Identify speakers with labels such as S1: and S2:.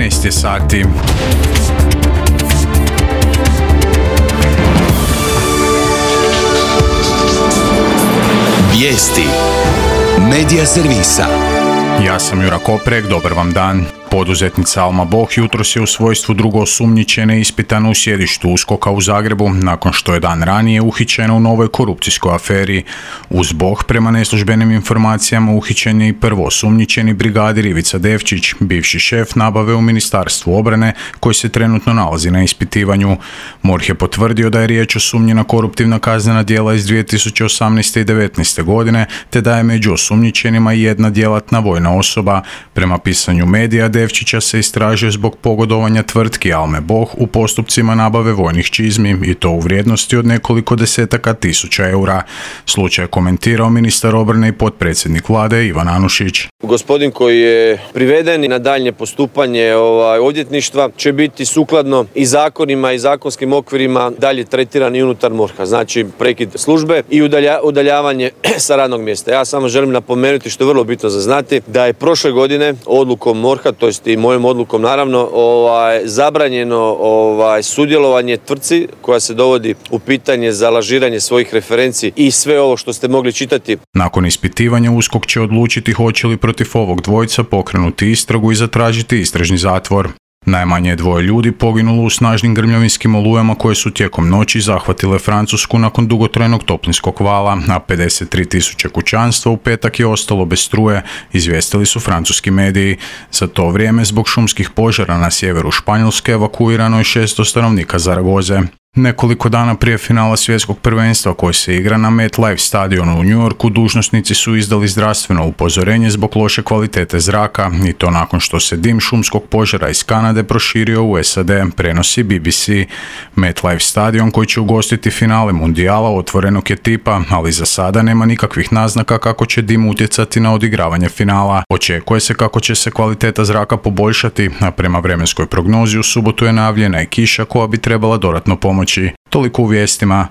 S1: 13 je sati.
S2: Vijesti Medija servisa.
S1: Ja sam Jura Koprek, dobar vam dan. Poduzetnica Alma Boh jutros je u svojstvu drugoosumnjičene ispitana u sjedištu USKOK-a u Zagrebu nakon što je dan ranije uhićena u novoj korupcijskoj aferi. Uz Boh, prema neslužbenim informacijama, uhićen je i prvoosumnjičeni brigadir Ivica Devčić, bivši šef nabave u Ministarstvu obrane, koji se trenutno nalazi na ispitivanju. MORH je potvrdio da je riječ o sumnji na koruptivna kaznena djela iz 2018. i 2019. godine, te da je među osumnjičenima i jedna djelatna vojna osoba. Prema pisanju medija, Devčića se istražuje zbog pogodovanja tvrtki Alme Boh u postupcima nabave vojnih čizmi i to u vrijednosti od nekoliko desetaka tisuća eura. Slučaj je komentirao ministar obrane i potpredsjednik vlade Ivan Anušić.
S3: Gospodin koji je priveden na daljnje postupanje odvjetništva će biti sukladno i zakonima i zakonskim okvirima dalje tretiran i unutar MORH-a. Znači prekid službe i udaljavanje sa radnog mjesta. Ja samo želim napomenuti, što je vrlo bitno za znati, da je prošle godine odlukom MORH-a, to jest i mojom odlukom naravno, zabranjeno sudjelovanje tvrtci koja se dovodi u pitanje za lažiranje svojih referenci i sve ovo što ste mogli čitati.
S1: Nakon ispitivanja USKOK će odlučiti hoće li protiv ovog dvojca pokrenuti istragu i zatražiti istražni zatvor. Najmanje je 2 ljudi poginulo u snažnim grmljavinskim olujama koje su tijekom noći zahvatile Francusku nakon dugotrajnog toplinskog vala, a 53.000 kućanstva u petak je ostalo bez struje, izvijestili su francuski mediji. Za to vrijeme zbog šumskih požara na sjeveru Španjolske evakuirano je 600 stanovnika Zaragoze. Nekoliko dana prije finala svjetskog prvenstva koji se igra na MetLife stadionu u New Yorku, dužnosnici su izdali zdravstveno upozorenje zbog loše kvalitete zraka i to nakon što se dim šumskog požara iz Kanade proširio u SAD, prenosi BBC. MetLife stadion koji će ugostiti finale mundijala otvorenog je tipa, ali za sada nema nikakvih naznaka kako će dim utjecati na odigravanje finala. Očekuje se kako će se kvaliteta zraka poboljšati, a prema vremenskoj prognozi u subotu je najavljena i kiša koja bi trebala dodatno pomoći. Toliko u vijestima.